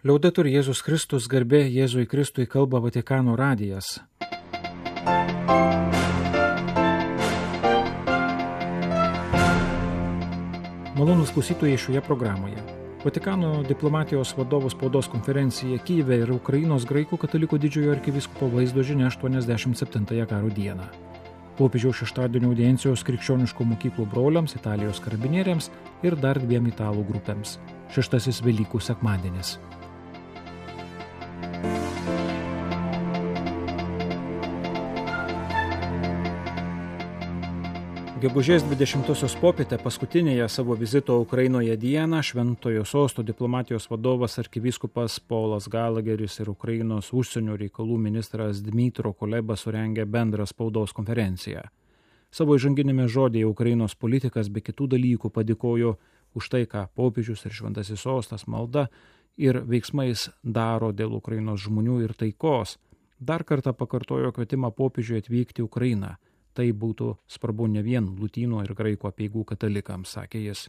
Liaudetur Jėzus Kristus, garbė Jėzui Kristui, kalba Vatikano radijas. Malonūs klausytojai šioje programoje. Vatikano diplomatijos vadovų spaudos konferencija Kyjive ir Ukrainos graikų katalikų didžiojo arkivyskupo vaizdo žinia 87-ąją karo dieną. Popiežiaus šeštadienio audiencijos krikščioniškų mokyklų broliams, Italijos karabinieriams ir dar 2 italų grupėms. Šeštasis Velykų sekmadienis. Gegužės 20-osios popietę paskutinėje savo vizito Ukrainoje dieną Šventojo Sosto diplomatijos vadovas arkivyskupas Polas Galageris ir Ukrainos užsienio reikalų ministras Dmytro Kuleba surengė bendrą spaudos konferenciją. Savo įžanginėme žodėje Ukrainos politikas be kitų dalykų padėkojo už tai, ką popiežius ir Šventasis Sostas malda ir veiksmais daro dėl Ukrainos žmonių ir taikos. Dar kartą pakartojo kvietimą popiežiui atvykti į Ukrainą. Tai būtų svarbu ne vien lotynų ir graikų apeigų katalikams, sakė jis.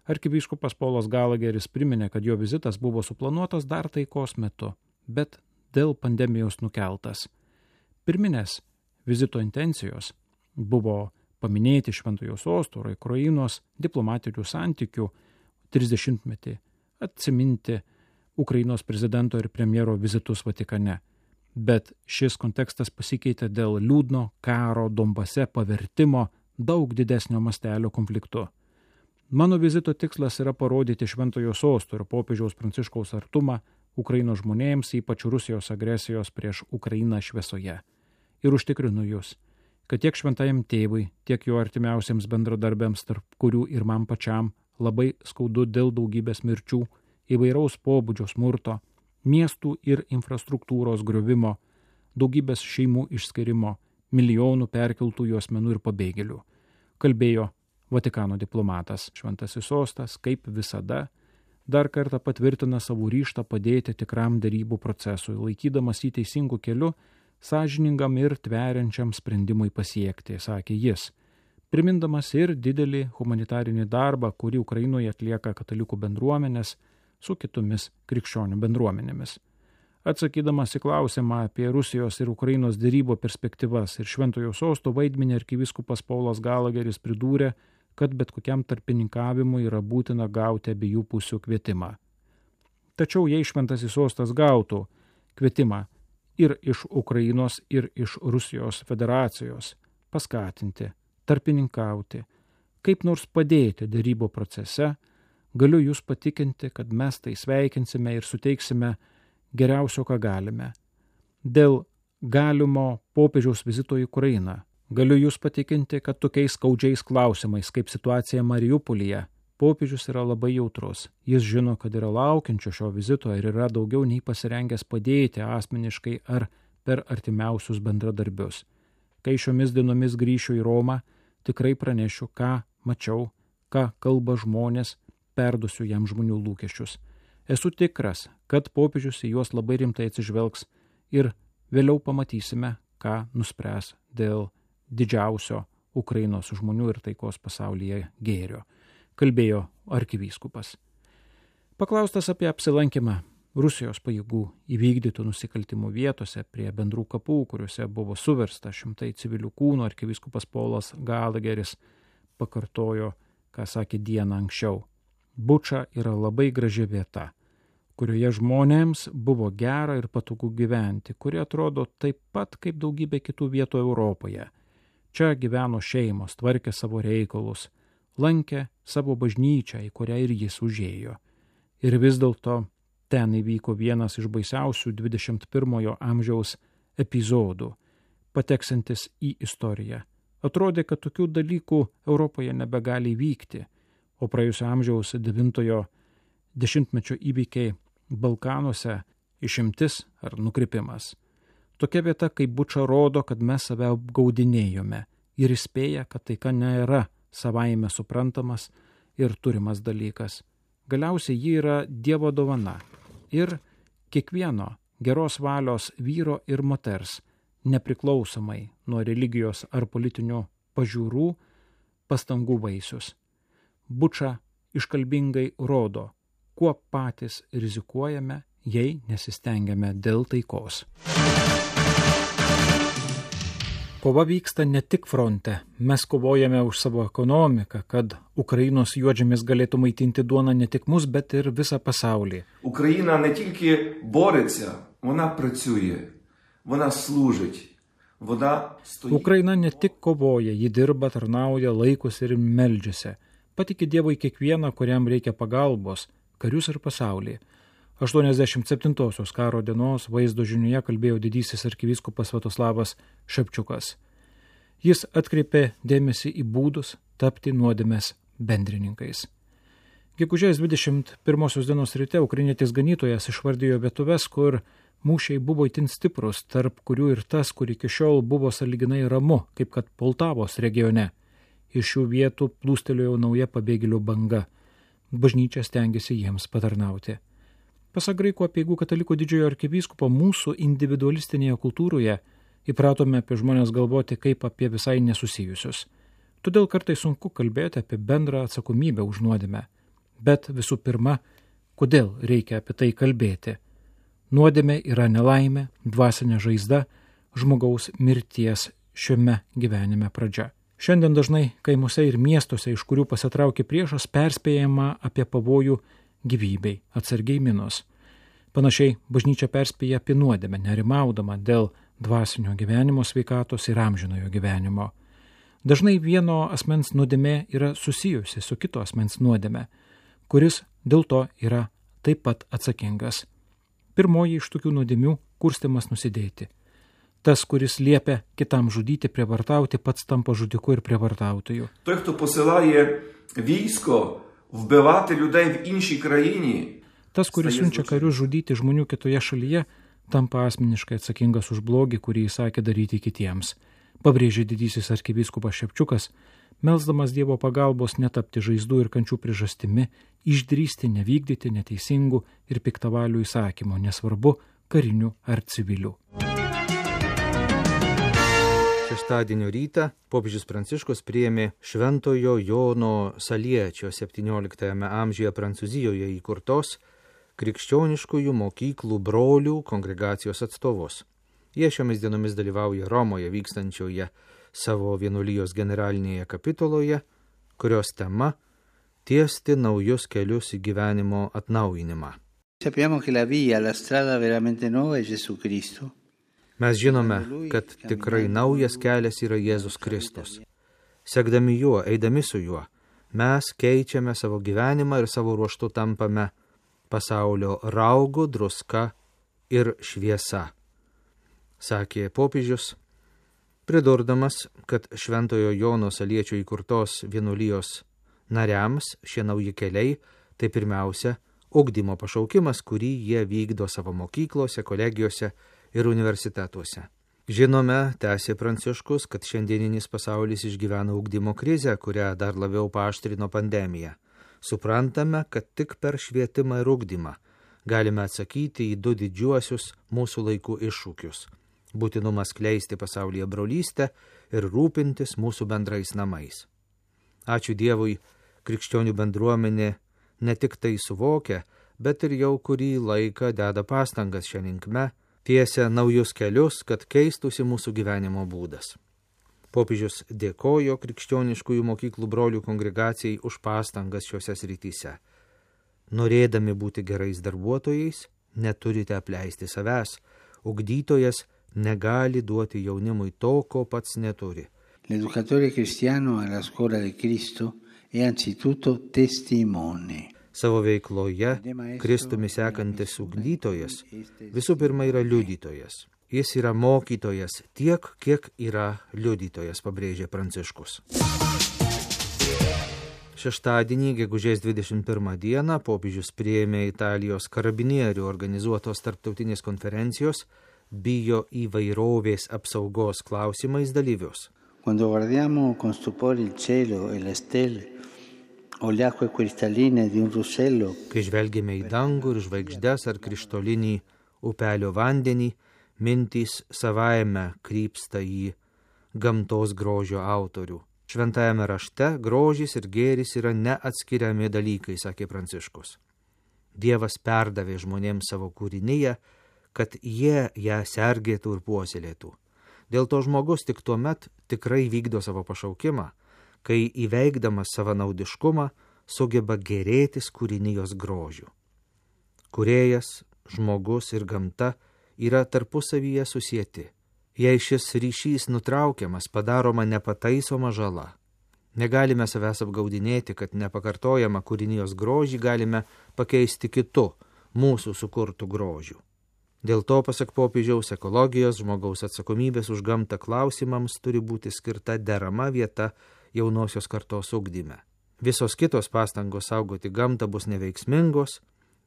Arkivyskupas Polas Galageris priminė, kad jo vizitas buvo suplanuotas dar taikos metu, bet dėl pandemijos nukeltas. Pirminės vizito intencijos buvo paminėti Šventojo Sosto ir Ukrainos diplomatinių santykių 30-metį, atsiminti Ukrainos prezidento ir premjero vizitus Vatikane. Bet šis kontekstas pasikeitė dėl liūdno karo Donbase pavertimo daug didesnio mastelio konfliktu. Mano vizito tikslas yra parodyti Šventojo Sosto ir popiežiaus Pranciškaus artumą Ukrainos žmonėms, ypač Rusijos agresijos prieš Ukrainą šviesoje. Ir užtikrinu jūs, kad tiek šventajam tėvui, tiek jo artimiausiems bendradarbiams, tarp kurių ir man pačiam, labai skaudu dėl daugybės mirčių, įvairaus pobūdžio smurto, miestų ir infrastruktūros griovimo, daugybės šeimų išskirimo, milijonų perkeltųjų asmenų ir pabėgėlių. Kalbėjo Vatikano diplomatas. Šventasis Sostas, kaip visada, dar kartą patvirtina savo ryžtą padėti tikram derybų procesui, laikydamas jį teisingų kelių, sąžiningam ir tveriančiam sprendimui pasiekti, sakė jis, primindamas ir didelį humanitarinį darbą, kurį Ukrainoje atlieka katalikų bendruomenės, su kitomis krikščionių bendruomenėmis. Atsakydamas į klausimą apie Rusijos ir Ukrainos derybų perspektyvas ir Šventojo Sosto vaidmenį, arkivyskupas Polas Galageris pridūrė, kad bet kokiam tarpininkavimui yra būtina gauti abiejų pusių kvietimą. Tačiau jei Šventasis Sostas gautų kvietimą ir iš Ukrainos, ir iš Rusijos federacijos paskatinti, tarpininkauti, kaip nors padėti derybų procese, galiu jūs patikinti, kad mes tai sveikinsime ir suteiksime geriausio, ką galime. Dėl galimo popiežiaus vizito į Ukrainą galiu jūs patikinti, kad tokiais skaudžiais klausimais, kaip situacija Mariupolyje, popiežius yra labai jautrus. Jis žino, kad yra laukiančio šio vizito ir yra daugiau nei pasirengęs padėti asmeniškai ar per artimiausius bendradarbius. Kai šiomis dienomis grįšiu į Romą, tikrai pranešiu, ką mačiau, ką kalba žmonės, perduosiu jam žmonių lūkesčius. Esu tikras, kad popiežius į juos labai rimtai atsižvelgs ir vėliau pamatysime, ką nuspręs dėl didžiausio Ukrainos žmonių ir taikos pasaulyje gėrio, kalbėjo arkivyskupas. Paklaustas apie apsilankymą Rusijos pajėgų įvykdytų nusikaltimų vietose prie bendrų kapų, kuriuose buvo suversta šimtai civilių kūnų, arkivyskupas Polas Galageris pakartojo, ką sakė dieną anksčiau. Buča yra labai graži vieta, kurioje žmonėms buvo gera ir patogu gyventi, kuri atrodo taip pat kaip daugybė kitų vietų Europoje. Čia gyveno šeimos, tvarkė savo reikalus, lankė savo bažnyčią, į kurią ir jis užėjo. Ir vis dėlto ten įvyko vienas iš baisiausių 21 amžiaus epizodų, pateksantis į istoriją. Atrodė, kad tokių dalykų Europoje nebegali vykti, o praėjusio amžiaus 9-ojo dešimtmečio įvykiai Balkanuose išimtis ar nukrypimas. Tokia vieta kaip Buča rodo, kad mes save apgaudinėjome ir įspėja, kad taika nėra savaime suprantamas ir turimas dalykas. Galiausiai ji yra Dievo dovana ir kiekvieno geros valios vyro ir moters, nepriklausomai nuo religijos ar politinių pažiūrų, pastangų vaisius. Buča iškalbingai rodo, kuo patys rizikuojame, jei nesistengiame dėl taikos. Kova vyksta ne tik fronte. Mes kovojame už savo ekonomiką, kad Ukrainos juodžemis galėtų maitinti duoną ne tik mus, bet ir visą pasaulį. Україна не тільки бореться, вона працює, вона служить, вона стоїть. Ukraina ne tik kovoja, ji dirba, tarnauja, laikosi ir meldžiasi. Patiki Dievui kiekvieną, kuriam reikia pagalbos, karius ir pasaulį. 87-osios karo dienos vaizdo žinioje kalbėjo didysis arkivyskupas Sviatoslavas Ševčiukas. Jis atkreipė dėmesį į būdus tapti nuodėmės bendrininkais. Gegužės 21 dienos ryte ukrainietis ganytojas išvardijo vietuves, kur mūšiai buvo itin stiprus, tarp kurių ir tas, kur iki šiol buvo sąlyginai ramu, kaip kad Poltavos regione. Iš šių vietų plūstelėjo nauja pabėgėlių banga. Bažnyčia stengiasi jiems patarnauti. Pasak Graikų apeigų katalikų didžiojo arkivyskupo, mūsų individualistinėje kultūroje įpratome apie žmonės galvoti kaip apie visai nesusijusius. Todėl kartais sunku kalbėti apie bendrą atsakomybę už nuodėmę. Bet visų pirma, kodėl reikia apie tai kalbėti? Nuodėmė yra nelaimė, dvasinė žaizda, žmogaus mirties šiame gyvenime pradžia. Šiandien dažnai kaimuose ir miestuose, iš kurių pasitraukė priešas, perspėjama apie pavojų gyvybei, atsargiai minos. Panašiai bažnyčia perspėja apie nuodėmę, nerimaudama dėl dvasinio gyvenimo, sveikatos ir amžinojo gyvenimo. Dažnai vieno asmens nuodėmė yra susijusi su kito asmens nuodėmė, kuris dėl to yra taip pat atsakingas. Pirmoji iš tokių nuodėmių – kurstymas nusidėti. Tas, kuris liepia kitam žudyti, prievartauti, pats tampa žudiku ir prievartautoju. Той, хто посилає військо вбивати людей в іншій країні. Tas, kuris siunčia karius žudyti žmonių kitoje šalyje, tampa asmeniškai atsakingas už blogį, kurį įsakė daryti kitiems. Pabrėžė didysis arkivyskupas Ševčiukas, melsdamas Dievo pagalbos netapti žaizdų ir kančių priežastimi, išdrįsti nevykdyti neteisingų ir piktavalių įsakymų, nesvarbu karinių ar civilių. Šeštadienio rytą popiežius Pranciškus priėmė Šventojo Jono Saliečio 17 amžiuje Prancūzijoje įkurtos krikščioniškųjų mokyklų brolių kongregacijos atstovus. Jie šiomis dienomis dalyvauja Romoje vykstančioje savo vienuolijos generalinėje kapituloje, kurios tema – tiesti naujus kelius į gyvenimo atnaujinimą. Sappiamo che la via, la strada veramente nuova è Gesù Cristo. Mes žinome, kad tikrai naujas kelias yra Jėzus Kristus. Sekdami juo, eidami su juo, mes keičiame savo gyvenimą ir savo ruožtu tampame pasaulio raugu, druska ir šviesa, sakė popiežius, pridurdamas, kad Šventojo Jono Saliečio įkurtos vienuolijos nariams šie nauji keliai tai pirmiausia ugdymo pašaukimas, kurį jie vykdo savo mokyklose, kolegijose ir universitetuose. Žinome, tęsė Pranciškus, kad šiandieninis pasaulis išgyvena ugdymo krizę, kurią dar labiau paaštrino pandemija. Suprantame, kad tik per švietimą ir ugdymą galime atsakyti į du didžiuosius mūsų laikų iššūkius – būtinumą skleisti pasaulyje brolystę ir rūpintis mūsų bendrais namais. Ačiū Dievui, krikščionių bendruomenė ne tik tai suvokia, bet ir jau kurį laiką deda pastangas šią linkme, tiesia naujus kelius, kad keistųsi mūsų gyvenimo būdas. Popiežius dėkojo krikščioniškųjų mokyklų brolių kongregacijai už pastangas šiose srityse. Norėdami būti gerais darbuotojais, neturite apleisti savęs. Ugdytojas negali duoti jaunimui to, ko pats neturi. L'educatore cristiano alla scuola di Cristo è anzitutto testimone. Savo veikloje Kristumi sekantis ugdytojas visų pirma yra liudytojas. Jis yra mokytojas tiek, kiek yra liudytojas, pabrėžė Pranciškus. Šeštadienį, gegužės 21 dieną, popiežius priėmė Italijos karabinierių organizuotos tarptautinės konferencijos bio įvairovės apsaugos klausimais dalyvius. Quando guardiamo con stupore il cielo e le stelle, o le acque cristalline di un ruscello. Kai žvelgėme į dangų ir žvaigždes ar krištolinį upelio vandenį, mintys savaime krypsta į gamtos grožio autorių. Šventajame rašte grožis ir gėris yra neatskiriami dalykai, sakė Pranciškus. Dievas perdavė žmonėms savo kūrinyje, kad jie ją sergėtų ir puoselėtų. Dėl to žmogus tik tuomet tikrai vykdo savo pašaukimą, kai įveikdamas savanaudiškumą sugeba gėrėtis kūrinijos grožiu. Kūrėjas, žmogus ir gamta yra tarpusavyje susieti. Jei šis ryšys nutraukiamas, padaroma nepataisoma žala. Negalime savęs apgaudinėti, kad nepakartojamą kūrinijos grožį galime pakeisti kitu, mūsų sukurtų grožių. Dėl to, pasak popiežiaus, ekologijos, žmogaus atsakomybės už gamtą klausimams turi būti skirta derama vieta jaunosios kartos ugdyme. Visos kitos pastangos saugoti gamtą bus neveiksmingos,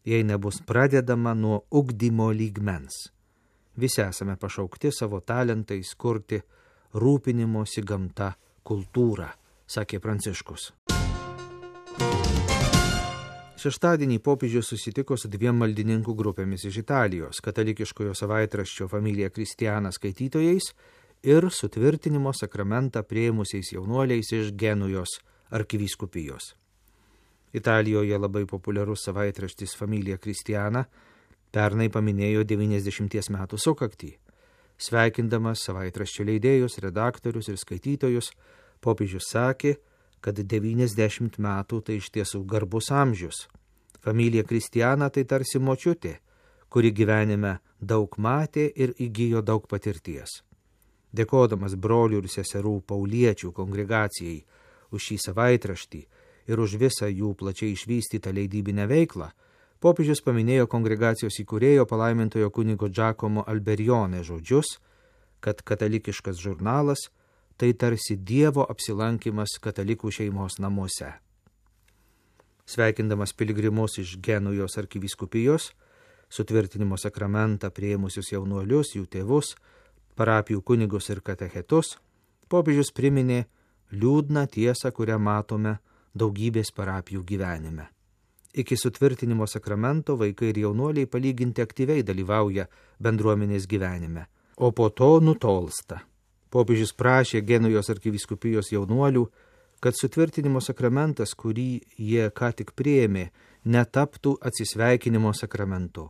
jei nebus pradedama nuo ugdymo lygmens. Visi esame pašaukti savo talentais kurti rūpinimosi gamta kultūrą, sakė Pranciškus. Šeštadienį popiežius susitiko su 2 maldininkų grupėmis iš Italijos, katalikiškojo savaitraščio Familia Cristiana skaitytojais ir sutvirtinimo sakramentą priėmusiais jaunuoliais iš Genujos arkivyskupijos. Italijoje labai populiarus savaitraštis Familia Cristiana pernai paminėjo 90 metų sukaktį. Sveikindamas savaitraščio leidėjus, redaktorius ir skaitytojus, popiežius sakė, kad 90 metų tai iš tiesų garbus amžius. Familia Cristiana tai tarsi močiutė, kuri gyvenime daug matė ir įgijo daug patirties. Dėkodamas brolių ir seserų pauliečių kongregacijai už šį savaitraštį ir už visą jų plačiai išvystytą leidybinę veiklą, popiežius paminėjo kongregacijos įkūrėjo palaimintojo kunigo Giacomo Alberione žodžius, kad katalikiškas žurnalas tai tarsi Dievo apsilankimas katalikų šeimos namuose. Sveikindamas piligrimus iš Genujos arkivyskupijos, sutvirtinimo sakramentą priėmusius jaunuolius, jų tėvus, parapijų kunigus ir katechetus, popiežius priminė liūdną tiesą, kurią matome daugybės parapijų gyvenime. Iki sutvirtinimo sakramento vaikai ir jaunuoliai palyginti aktyviai dalyvauja bendruomenės gyvenime, o po to nutolsta. Popiežius prašė Genujos arkivyskupijos jaunuolių, kad sutvirtinimo sakramentas, kurį jie ką tik priėmė, netaptų atsisveikinimo sakramentu.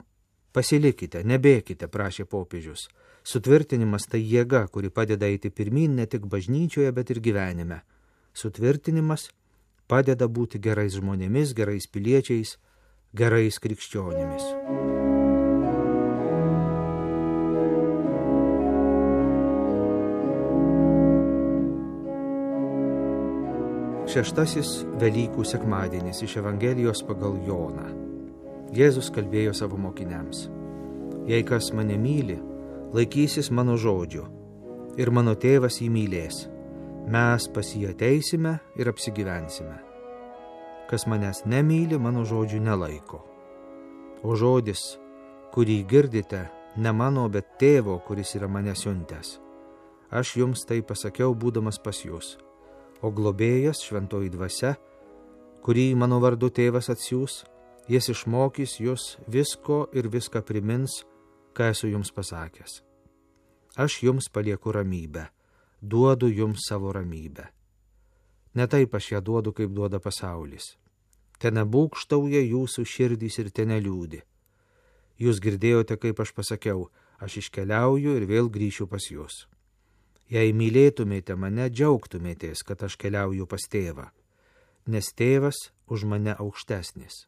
Pasilikite, nebėkite, prašė popiežius. Sutvirtinimas tai jėga, kuri padeda eiti pirmyn ne tik bažnyčioje, bet ir gyvenime. Sutvirtinimas padeda būti gerais žmonėmis, gerais piliečiais, gerais krikščionimis. Šeštasis Velykų sekmadienis iš Evangelijos pagal Joną. Jėzus kalbėjo savo mokiniams: Jei kas mane myli, laikysis mano žodžių, ir mano tėvas jį mylės. Mes pas jį ateisime ir apsigyvensime. Kas manęs nemyli, mano žodžių nelaiko. O žodis, kurį girdite, ne mano, bet tėvo, kuris yra mane siuntęs. Aš jums tai pasakiau, būdamas pas jūs. O globėjas, šventoji dvasia, kurį mano vardu tėvas atsiųs, jis išmokys jūs visko ir viską primins, ką esu jums pasakęs. Aš jums palieku ramybę, duodu jums savo ramybę. Ne taip aš ją duodu, kaip duoda pasaulis. Tenebūgštauja jūsų širdys ir teneliūdi. Jūs girdėjote, kaip aš pasakiau, aš iškeliauju ir vėl grįšiu pas jūs. Jei mylėtumėte mane, džiaugtumėtės, kad aš keliauju pas tėvą, nes tėvas už mane aukštesnis.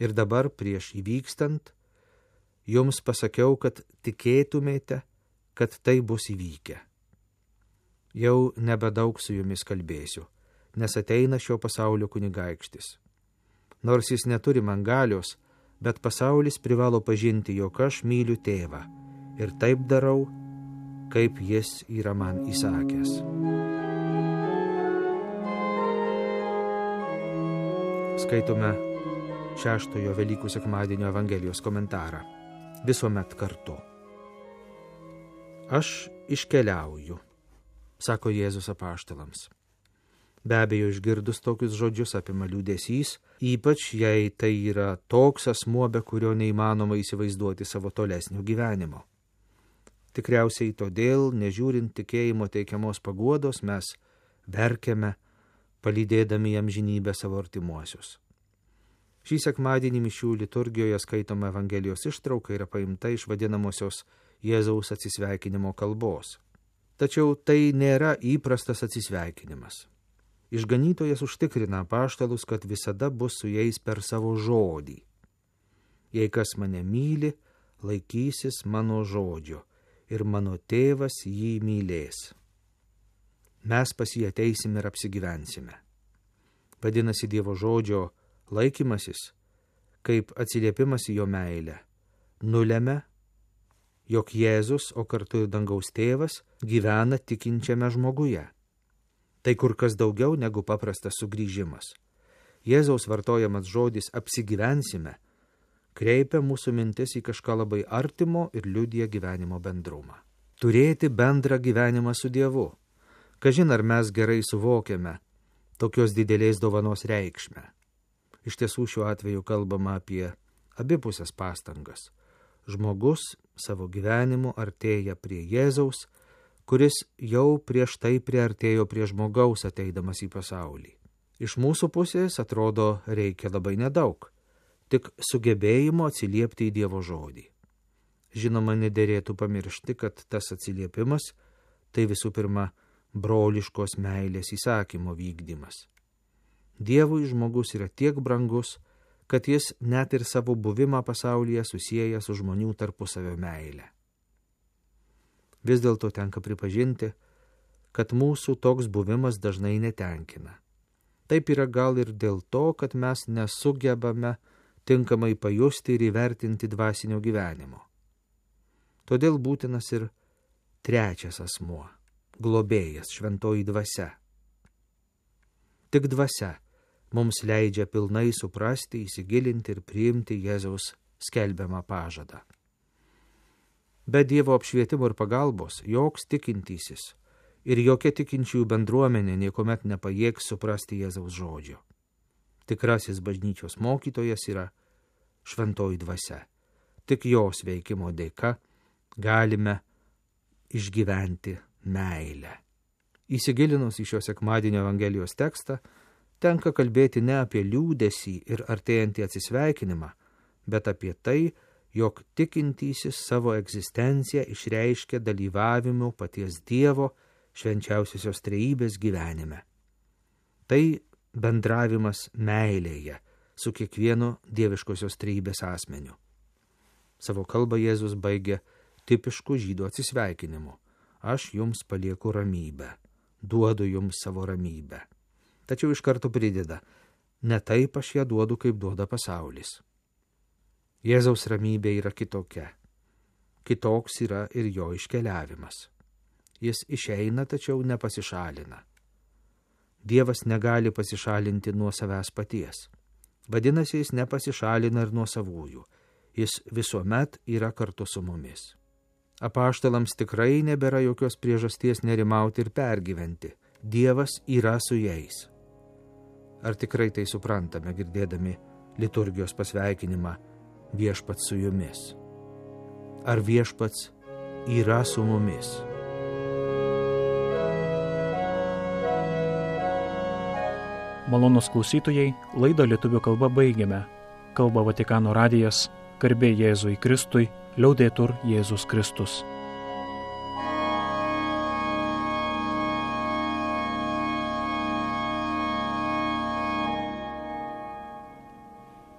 Ir dabar prieš įvykstant, jums pasakiau, kad tikėtumėte, kad tai bus įvykę. Jau nebedaug su jumis kalbėsiu, nes ateina šio pasaulio kunigaikštis. Nors jis neturi man galios, bet pasaulis privalo pažinti, jog aš myliu tėvą ir taip darau, kaip jis yra man įsakęs. Skaitome 6 Velykų sekmadienio Evangelijos komentarą. Visuomet kartu. Aš iškeliauju, sako Jėzus apaštalams. Be abejo, išgirdus tokius žodžius apima liūdesys, ypač jei tai yra toks asmuo, be kurio neįmanoma įsivaizduoti savo tolesnio gyvenimo. Tikriausiai todėl, nežiūrint tikėjimo teikiamos paguodos, mes verkiame, palydėdami amžinybę savo artimuosius. Šį sekmadienį mišių liturgijoje skaitoma Evangelijos ištrauka yra paimta iš vadinamosios Jėzaus atsisveikinimo kalbos. Tačiau tai nėra įprastas atsisveikinimas. Išganytojas užtikrina apaštalus, kad visada bus su jais per savo žodį. Jei kas mane myli, laikysis mano žodžio ir mano tėvas jį mylės. Mes pas jį ateisim ir apsigyvensime. Vadinasi, Dievo žodžio laikymasis, kaip atsiliepimas į jo meilę, nulemia, jog Jėzus, o kartu ir dangaus tėvas, gyvena tikinčiame žmoguje. Tai kur kas daugiau negu paprastas sugrįžimas. Jėzaus vartojamas žodis apsigyvensime kreipia mūsų mintis į kažką labai artimo ir liudija gyvenimo bendrumą. Turėti bendrą gyvenimą su Dievu. Kažin ar mes gerai suvokiame tokios didelės dovanos reikšmę. Iš tiesų šiuo atveju kalbama apie abipusės pastangas. Žmogus savo gyvenimu artėja prie Jėzaus, kuris jau prieš tai priartėjo prie žmogaus ateidamas į pasaulį. Iš mūsų pusės atrodo reikia labai nedaug, tik sugebėjimo atsiliepti į Dievo žodį. Žinoma, nederėtų pamiršti, kad tas atsiliepimas tai visų pirma broliškos meilės įsakymo vykdymas. Dievui žmogus yra tiek brangus, kad jis net ir savo buvimą pasaulyje susieja su žmonių tarpusavio meile. Vis dėlto tenka pripažinti, kad mūsų toks buvimas dažnai netenkina. Taip yra gal ir dėl to, kad mes nesugebame tinkamai pajusti ir įvertinti dvasinio gyvenimo. Todėl būtinas ir trečias asmuo – globėjas, šventoji dvasia. Tik dvasia mums leidžia pilnai suprasti, įsigilinti ir priimti Jėzaus skelbiamą pažadą. Be Dievo apšvietimo ir pagalbos joks tikintysis ir jokia tikinčiųjų bendruomenė niekuomet nepajėgs suprasti Jėzaus žodžio. Tikrasis bažnyčios mokytojas yra šventoji dvasia. Tik jos veikimo dėka galime išgyventi meilę. Įsigilinus į šio sekmadienio Evangelijos tekstą, tenka kalbėti ne apie liūdesį ir artėjantį atsisveikinimą, bet apie tai, jog tikintysis savo egzistenciją išreiškia dalyvavimu paties Dievo švenčiausiosios trejybės gyvenime. Tai bendravimas meilėje su kiekvienu dieviškosios trejybės asmeniu. Savo kalbą Jėzus baigė tipišku žydų atsisveikinimu. Aš jums palieku ramybę, duodu jums savo ramybę. Tačiau iš karto prideda, ne taip aš ją duodu, kaip duoda pasaulis. Jėzaus ramybė yra kitokia. Kitoks yra ir jo iškeliavimas. Jis išeina, tačiau nepasišalina. Dievas negali pasišalinti nuo savęs paties. Vadinasi, jis nepasišalina ir nuo savųjų. Jis visuomet yra kartu su mumis. Apaštalams tikrai nebėra jokios priežasties nerimauti ir pergyventi. Dievas yra su jais. Ar tikrai tai suprantame, girdėdami liturgijos pasveikinimą viešpats su jumis? Ar viešpats yra su mumis? Malonūs klausytojai, laidą lietuvių kalba baigiame. Kalba Vatikano radijas, garbė Jėzui Kristui, liaudetur Jėzus Kristus.